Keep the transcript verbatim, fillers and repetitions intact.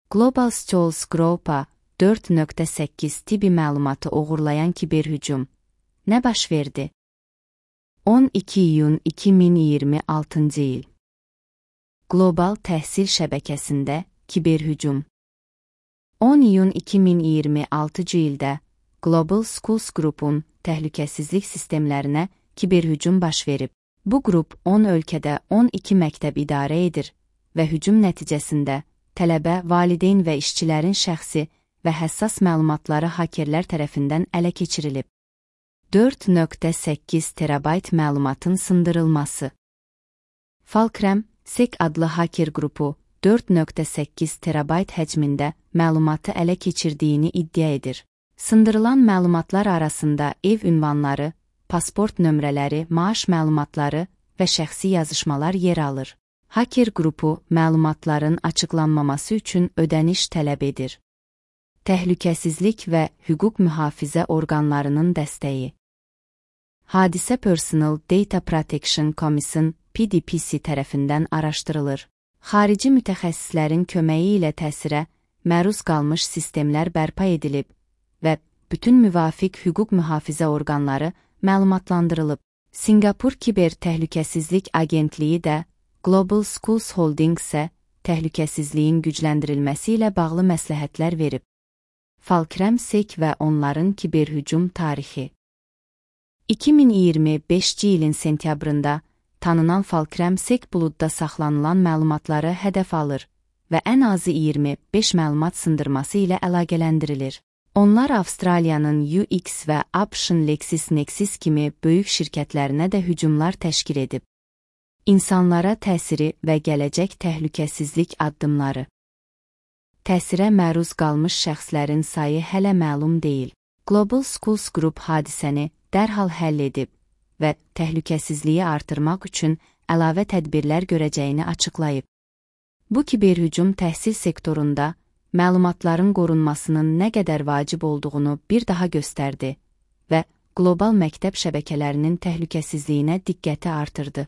Global Stools Group'a dörd nöqtə səkkiz tibi məlumatı oğurlayan kiberhücum. Nə baş verdi? on iki iyun iki min iyirmi altıncı il. Qlobal təhsil şəbəkəsində kiberhücum. on iyun iki min iyirmi altıncı ildə Global Schools Group'un təhlükəsizlik sistemlərinə kiberhücum baş verib. Bu qrup on ölkədə on iki məktəb idarə edir və hücum nəticəsində tələbə, valideyn və işçilərin şəxsi və həssas məlumatları hakerlər tərəfindən ələ keçirilib. dörd nöqtə səkkiz terabayt məlumatın sındırılması. Falkrem Sec adlı haker qrupu dörd nöqtə səkkiz terabayt həcmində məlumatı ələ keçirdiyini iddia edir. Sındırılan məlumatlar arasında ev ünvanları, pasport nömrələri, maaş məlumatları və şəxsi yazışmalar yer alır. Haker qrupu məlumatların açıqlanmaması üçün ödəniş tələb edir. Təhlükəsizlik və hüquq mühafizə orqanlarının dəstəyi. Hadisə Personal Data Protection Commission P D P C tərəfindən araşdırılır. Xarici mütəxəssislərin köməyi ilə təsirə məruz qalmış sistemlər bərpa edilib və bütün müvafiq hüquq mühafizə orqanları məlumatlandırılıb. Singapur Kiber Təhlükəsizlik Agentliyi də Global Schools Holdings-ə təhlükəsizliyin gücləndirilməsi ilə bağlı məsləhətlər verib. Falkrem Sec və onların kiberhücum tarixi. iki min iyirmi beşinci ilin sentyabrında tanınan Falkrem Sec buludda saxlanılan məlumatları hədəf alır və ən azı iyirmi beş məlumat sındırması ilə əlaqələndirilir. Onlar Avstraliyanın U X və A B Ş'ın LexisNexis kimi böyük şirkətlərinə də hücumlar təşkil edib. İnsanlara təsiri və gələcək təhlükəsizlik addımları. Təsirə məruz qalmış şəxslərin sayı hələ məlum deyil. Global Schools Group hadisəni dərhal həll edib və təhlükəsizliyi artırmaq üçün əlavə tədbirlər görəcəyini açıqlayıb. Bu kiberhücum təhsil sektorunda məlumatların qorunmasının nə qədər vacib olduğunu bir daha göstərdi və qlobal məktəb şəbəkələrinin təhlükəsizliyinə diqqəti artırdı.